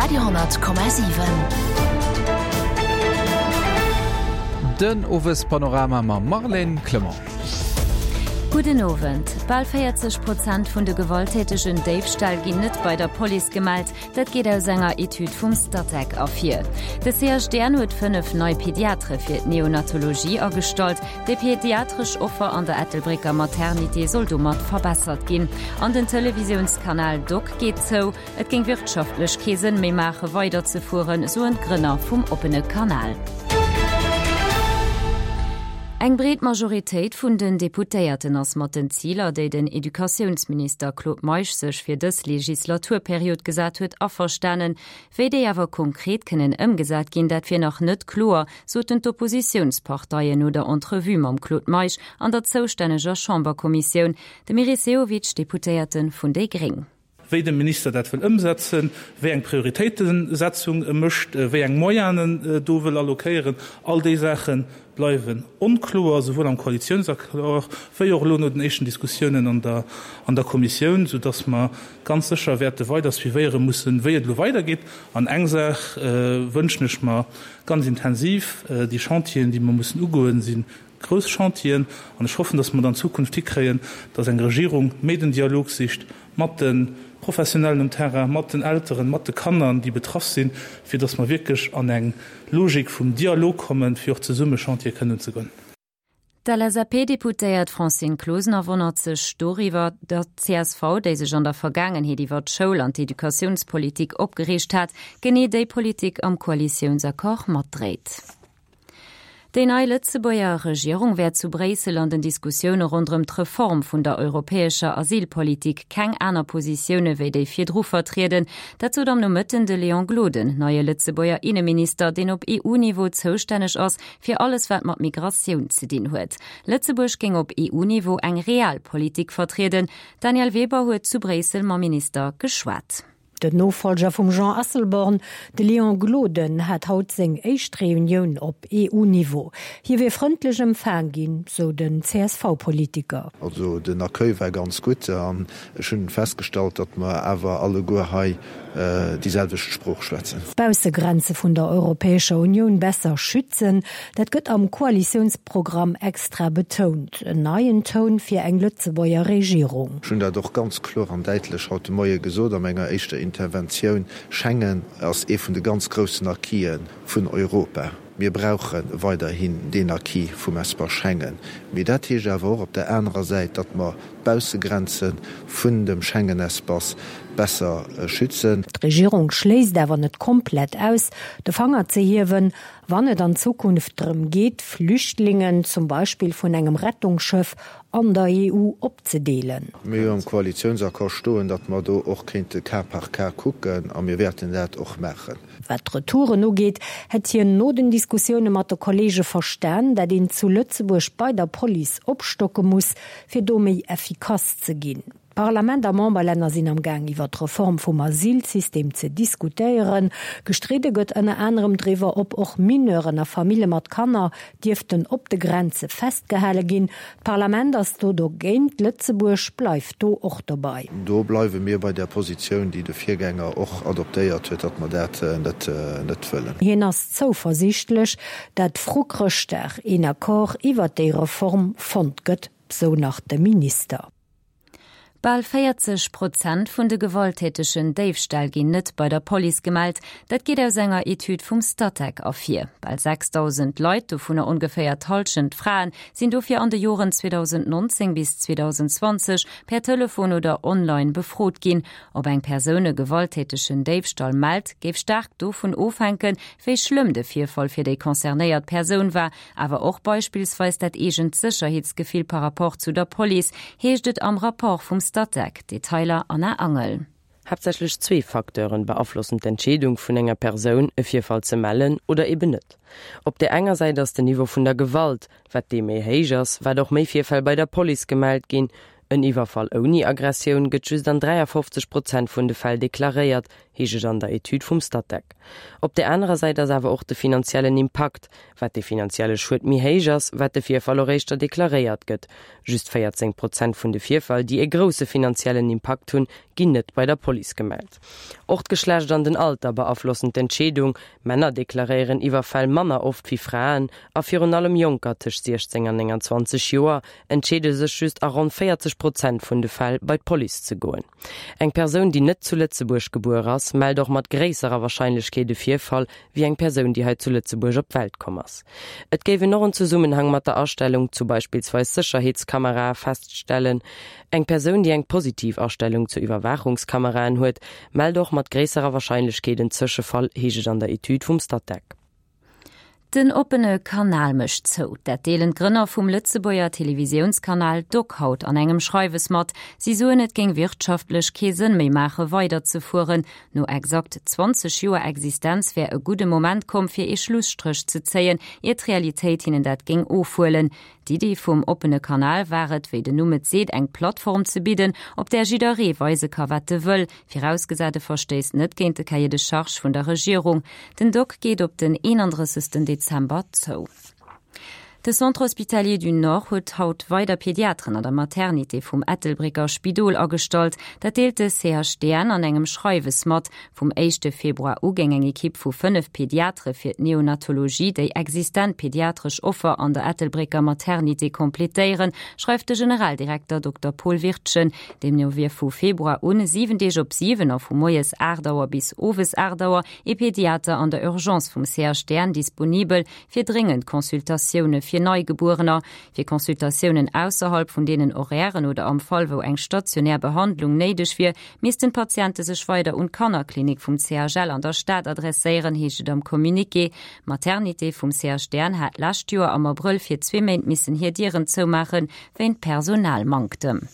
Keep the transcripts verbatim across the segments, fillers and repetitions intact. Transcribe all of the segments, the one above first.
Radio honnert Komma siwen. Den Owespanorama mam Marlène Clement. Gudden Owend. Bal véierzeg Prozent vun de gewalttätegen Déifställ ginn net bei der Police gemellt. Dat geet aus enger Etüd vum Statec ervir. De C H D N huet fënnef nei Pediatre fir d'Neonatologie agestallt. Déi pediatresch Offer an der Ettelbrécker Maternité soll domat verbessert ginn. An den Televisiounskanal Dok geet zou. Et géing wirtschaftlech kee Sënn méi maache weiderzefueren, soen d'Grënner vum oppene Kanal. Eng breet Majoritéit vun den Deputéierten ass mat den Ziler, déi den Educatiounsminister Claude Meisch sech fir dës Legislaturperiod gesat huet, averstanen. Wéi déi awer konkret kënnen ëmgesat ginn, dat wier nach net kloer, soten d'Oppositiounsparteien no der Entrevue mam Claude Meisch an der zoustänneger Chamberkommissioun. De Meris Sehovic, Deputéierte vun déi Gréng. Wéi de Minister dat wëll ëmsetzen, wéi eng Prioritéitensetzung e mécht, wéi eng Moyenen do wëll allokéieren, all déi Saache bleiwen onkloer, souwuel am Koalitiounsaccord wéi och elo no den éischten Diskussiounen an der an der Kommissioun, soudass mer ganz sécher wäerte weider suivéiere mussen, wéi et elo weidergeet. An eng Saach wënschen ech mer ganz intensiv, Déi Chantieren, déi mer mussen ugoen, si grouss Chantieren, an ech hoffen, dass mer et an Zukunft hikréien, dass eng Regierung méi den Dialog sicht mat de Professionellen um Terrain, mat den Elteren, mat de Kanner, déi betraff sinn, fir dass mer wierklech an eng Logik vum Dialog kommen, fir och zesumme Chantiere kënnen unzegoen. D'L S A P-Deputéiert Francine Closener wonnert sech doriwwer, datt d'C S V, déi sech an der Vergaangenheet iwwer d'Schoul an d'Educatiounspolitik opgereegt hat, genee déi Politik am Koalitiounsaccord matdréit. Déi nei Lëtzebuerger Regierung wäert zu Bréissel an den Diskussioune ronderëm d'Reform vun der europäescher Asylpolitik keng aner Positioune wéi déi virdru vertrieden. Dat sot am Nomëtten de Léon Gloden, neie Lëtzebuerger Inneminister, deen op E U-Niveau zoustänneg ass fir alles wat mat Migratioun ze dinn huet. Lëtzebuerg géing op E U-Niveau eng real Politik vertrieden. D'Danièle Weber huet zu Bréissel mam Minister geschwat. Den Nofollger vum Jean Asselborn, de Léon Gloden, hat haut seng éischt Reunioun op E U-Niveau. Hie wier frëndlech empfaang ginn, sou den C S V-Politiker. Also den Accueil war ganz gutt an ech hunn festgestallt, datt mer awer alleguer hei déi selwecht Sprooch schwätzen. D'Baussegrenze vun der Europäescher Unioun besser schützen, dat gëtt am Koalitiounsprogramm extra betount. En neien Toun fir eng Lëtzebuerger Regierung. Ech hunn dat och ganz kloer an däitlech haut de Moie gesot a menger éischter Interventioun, Schengen ass ee vun de ganz groussen Acquisen vun Europa. Mir brauche weiderhin deen Acquis vum Espace Schengen. Mee dat heescht awer och op der anerer Säit, datt mer d'Baussegrenze vun dem Schengen-Espace besser schützen. D'Regierung schléisst awer net komplett aus, de Fanger ze hiewen, wann et an Zukunft drëm geet, Flüchtlingen, zum Beispill vun engem Rettungsschëff, an der E U opzedeelen. Mir hu am Koalitiounsaccord stoen, datt mer do och kéinte cas par cas kucken, a mir wäerten dat och maachen. Wat d'Retouren ugeet, hätt hien no den Diskussioune mat de Kolleege verstan, dat een zu Lëtzebuerg bei der Police opstocke muss, fir do méi effikass ze ginn. D'Parlament a Memberlänner sinn am Gaang iwwer d'Reform vum Asylsystem ze diskutéieren. Gestridde gëtt ënner anerem driwwer, ob och Mineuren a Famillje mat Kanner dierften op de Grenze festgehale ginn. D'Parlament ass do dogéint, Lëtzebuerg bleift do och dobäi. Do bleiwe mir bei där Positioun, déi de Virgänger och adoptéiert huet, datt mer dat net net wëllen. Hien ass zouversiichtlech, dat vru Chrëschtdag een Accord iwwer déi Reform fonnt gëtt, sou nach de Minister. Bal véierzeg Prozent vun de gewalttätegen Déifställ ginn net bei der Police gemellt. Dat geet aus enger Etüd vum Statec ervir. Bal sechsdausend Leit, dovunner ongeféier d'Hallschent Fraen, sinn dofir an de Joren zweedausendnonzéng bis zweedausendzwanzeg per Telefon oder online befrot ginn. Ob eng Persoun e gewalttätegen Déifstall mellt, géif staark dovun ofhänken, wéi schlëmm de Virfall fir déi concernéiert Persoun war, awer och beispillsweis dat eegent Sécherheetsgefill par rapport zu der Police, heescht et am Rapport vum Statec. Detailer Anna Angel. Haaptsächlech zwee Facteuren beaflossen d'Entscheedung vun enger Persoun, e Virfall ze mellen oder eben net. Op der enger Säit ass den Niveau vun der Gewalt, wat dee méi héich ass, wat och méi Virfäll bei der Police gemellt ginn, En Iwwerfall ouni Aggressioun gëtt just an dräiafofzeg Prozent vun de Fäll deklaréiert, heescht et an der Etüd vum Statec. Op der anerer Säit ass awer och de finanziellen Impakt, Wat de finanzielle Schued méi héich ass, wat de Virfall och éischter deklaréiert gëtt. Just véierzéng Prozent vun de Virfäll, déi e grousse finanziellen Impakt hunn, ginn net bei der Police gemellt. Och d'Geschlecht an den Alter beaflossen d'Entscheedung, Männer deklaréieren Iwwerfäll manner oft wéi Fraen a virun allem Jonker tëscht siechzéng an nénganzwanzeg Joer entscheede sech just a ronn véierzeg Prozent vun de Fäll, bei d'Police ze goen. Eng Persoun, déi net zu Lëtzebuerg gebuer ass, mellt och mat gréisserer Warscheinlechkeet e Virfall wéi eng Persoun, déi hei zu Lëtzebuerg op d'Welt komm ass. Et géif een och en Zesummenhang mat der Astellung zu beispillsweis Sécherheetskamerae feststellen. Eng Persoun, déi eng positiv Astellung zu Iwwerwaachungskameraen huet, mellt och mat gréisserer Warscheinlechkeet en Tëschefall, heescht et an der Etüd vum Statec. Den oppene Kanal mécht zou. Dat deelen d'Grënner vum Lëtzebuerger Televisiounskanal Doc haut an engem Schreiwes mat. Si soen, et géing wirtschaftlech kee Sënn méi maache weiderzefueren. No exakt zwanzeg Joer Existenz wär e gudde Moment komm, fir ee Schlusstréch ze zéien, ier d'Realitéit hinnen dat géing ofhuelen. D'Iddi vum oppene Kanal war et, wéi den Numm et seet, eng Plattform ze bidden, op där jidderee weise ka wat e wëll, virausgesat e verstéisst net géint de Cahier de charges vun der Regierung. Den Doc geet op den eenandrëssegsten Dezember zou. De Centre Hospitalier du Nord huet haut weider Pediateren an der Maternité vum Ettelbrécker Spidol agestallt. Dat deelt de C H D N an engem Schreiwes mat. Vum éischte Februar u géing eng Ekipp vu fënnef Pediatere fir d'Neonatologie déi existent pediatresch Offer an der Ettelbrécker Maternité completéieren, schreift de Generaldirekter Dokter Paul Wirtgen. Deemno wier vu Februar un siwen Deeg op siwen a vu moies aacht Auer bis owes aacht Auer ee Pediater an der Urgence vum C H D N disponibel fir dréngend Consultatioune fir Neigebuerener. Fir Consultatiounen ausserhalb vun deenen Horairen oder am Fall wou eng stationär Behandlung néideg wier, missten d'Patiente sech weider un d'Kannerklinik vum C H L an der Stad adresséieren, heescht et am Communiqué. D'Maternité vum C H D N hat d'lescht Joer am Abrëll fir zwee Méint missen hir Dieren zoumaachen, wéint Personalmanktem.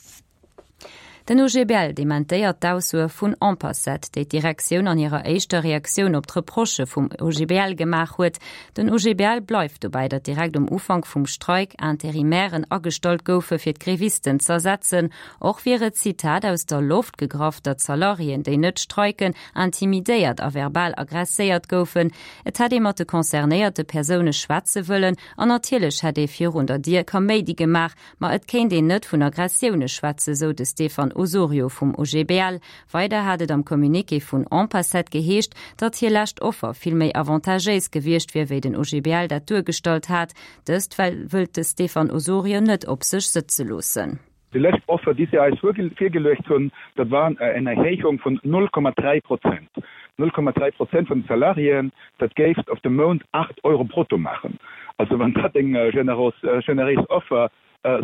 Den O G B L dementéiert d'Aussoe vun Ampacet, déi d'Direktioun an hirer éischter Reaktioun op d'Reprochë vum O G B L gemaach huet. Den O G B L bleift dobäi, datt direkt um Ufank vum Streik Interimairen agestallt goufe fir d'Grevisten z'ersetzen. Och wier et, Zitat, aus der Loft gegraff, datt Salariéen, déi net streiken, intimidéiert a verbal aggresséiert goufen. Et hätt ee mat de concernéierte Persoune schwätze wëllen an natierlech hätt ee virun der Dier Kaméidi gemaach, ma et kéint een net vun Aggressioune schwätzen, sou de Stefan Osorio vum O G B L. Weider hat et am Communiqué vun Ampacet geheescht, datt hir lescht Offer vill méi avantagéis gewiescht wier, wéi den O G B L dat duergestallt hat. Dëst wëllt de Stefan Osorio net op sech sëtze loossen. Déi lescht Offer, déi si eis virgeluecht hunn, dat war eng Erhéijung vun null Komma dräi Prozent. Null Komma dräi Prozent vun de Salariéen, dat géif op de Mount aacht Euro brutto maachen. Also wann dat eng generéis Offer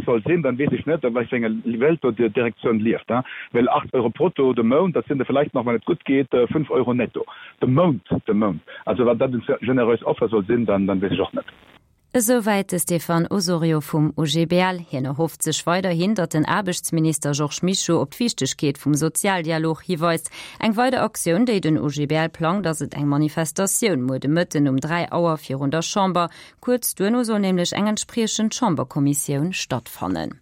soll sinn, dann weess ech net, a wat fir enger Welt do déi Direktioun lieft. Well aacht Euro brutto de Mount, dat sinn der vläicht nach, wann et gutt geet, fënnf Euro netto de Mount, de Mount. Also wann dat eng generéis Offer soll sinn, dann dann weess ech och net. Esouwäit de Stefan Osorio vum O G B L. Hien erhofft sech weiderhin, datt den Aarbechtsminister Georges Mischo op d'Wichtegkeet vum Sozialdialog hiweist. Eng weider Aktioun, déi den O G B L plangt, ass et eng Manifestatioun muer de Mëtten um dräi Auer virun der Chamber. Kuerz duerno soll nämlech eng entspriechend Chamberkommissioun stattfannen.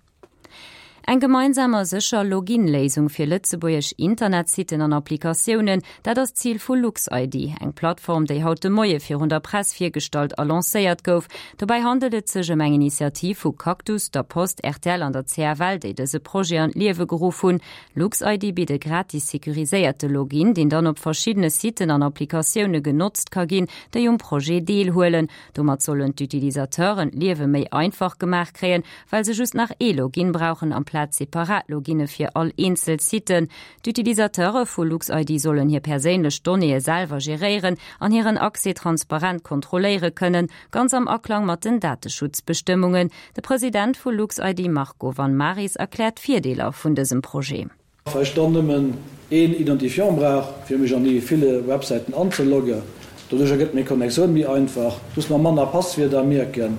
Eng gemeinsam a sécher Login-Léisung fir lëtzebuergesch Internetsitten an Applikatiounen, dat ass d'Zil vu LuxID, eng Plattform, déi haut de Moie virun der Press virgestallt a lancéiert gouf. Dobäi handelt et sech ëm eng Initiativ vu Cactus, der Post, R T L an der C F L, déi dëse Projet an d'Liewe geruff hunn. LuxID bitt e gratis securiséierte Login, deen dann op verschiddene Sitten an Applikatioune genotzt ka ginn, déi um Projet deelhuelen. Domat sollen d'Utilisateuren d'Liewe méi einfach gemaach kréien, well se just nach ee Login brauchen amplaz separat Loginne fir all eenzel Siten. D'Utilisateure vu LuxID sollen hir perséinlech Donnéeë selwer geréieren an hiren Accès transparent kontrolléiere kënnen, ganz am Aklang mat den Dateschutzbestëmmungen. De President vu LuxID Marco van Maris erkläert d'Virdeeler vun dësem Projet. Well ech dann nëmmen een Identifiant brauch, fir mech an déi ville Websäiten anzeloggen. Doduercher gëtt meng Connectioun méi einfach, ech muss mer manner Passwierder mierken.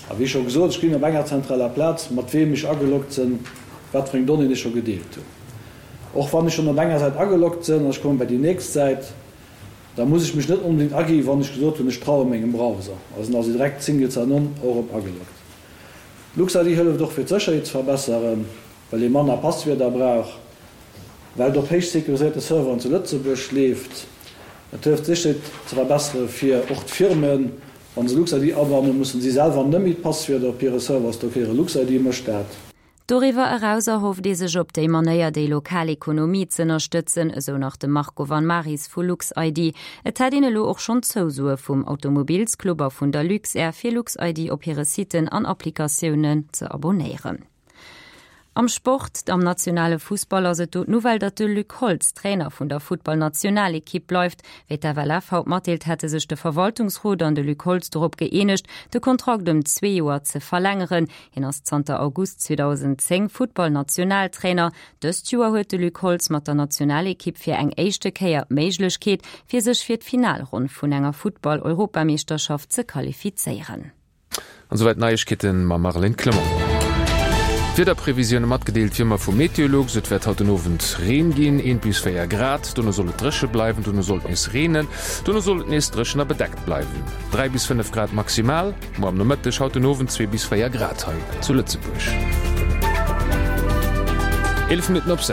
A wéi scho gesot, ech gesinn op enger zentraler Plaz, mat weem ech ageloggt sinn, wat fir eng Donnéeën ech scho gedeelt hunn. Och wann ech schonn op enger Säit ageloggt sinn an ech komme bei déi nächst Säit, da muss ech mech net onbedéngt agi wann ech gesot hunn, ech traue mengem Browser. Also sinn also direkt Single Sign-On och erëm ageloggt. LuxID hëlleft och fir d'Sécherheet ze verbesseren, well ee manner Passwierder brauch, well et op héich securiséierte Serveren zu Lëtzebuerg leeft. Et hëlleft d'Sécherheet ze verbessere fir och d'Firmen. Wa se LuxID abannen, mussen si selwer net méi d'Passwierder op hire Server stockéieren. LuxID mécht dat. Doriwwer eraus erhofft ee sech op déi Manéier déi lokal Ekonomie z'ënnerstëtzen, esou nach de Marco Van Maris vu LuxID. Et hätt een elo och schonn Zousoe vum Automobilsclub a vun der Luxair fir LuxID op hire Siten an Applikatiounen ze abonéieren. Am Sport, Am nationale Fussball ass et do d'Nouvelle, datt de Luc Holtz Trainer vun der Futtballnationalekipp bleift. Wéi d'FLF haut matdeelt, hätte sech de Verwaltungsrot an de Luc Holtz dorop gëeenegt, de Kontrakt ëm zwee Joer ze verlängeren. Hien ass zanter August zweedausendzéng Futtballnationaltrainer. Dëst Joer huet de Luc Holtz mat der Nationalekipp fir eng éischte Kéier d'Méiglechkeet, fir sech fir d'Finalronn vun enger Futtball-Europameeschterschaft ze qualifizéieren. An souwäit d'Neiegkeeten mam Marlène Clement. D'Wiederprevisioune matgedeelt wéi ëmmer vu Meteolux, Et wäert haut den Owend Reen ginn, eent bis véier Grad, dono soll et dréche bleiwen, dono soll et nees reenen, dono soll et nees dréchen a bedeckt bleiwen, dräi bis fënnef Grad maximal muer am Nomëtteg, haut den Owend zwee bis véier Grad hei zu Lëtzebuerg. Eelef Minutten op sechs.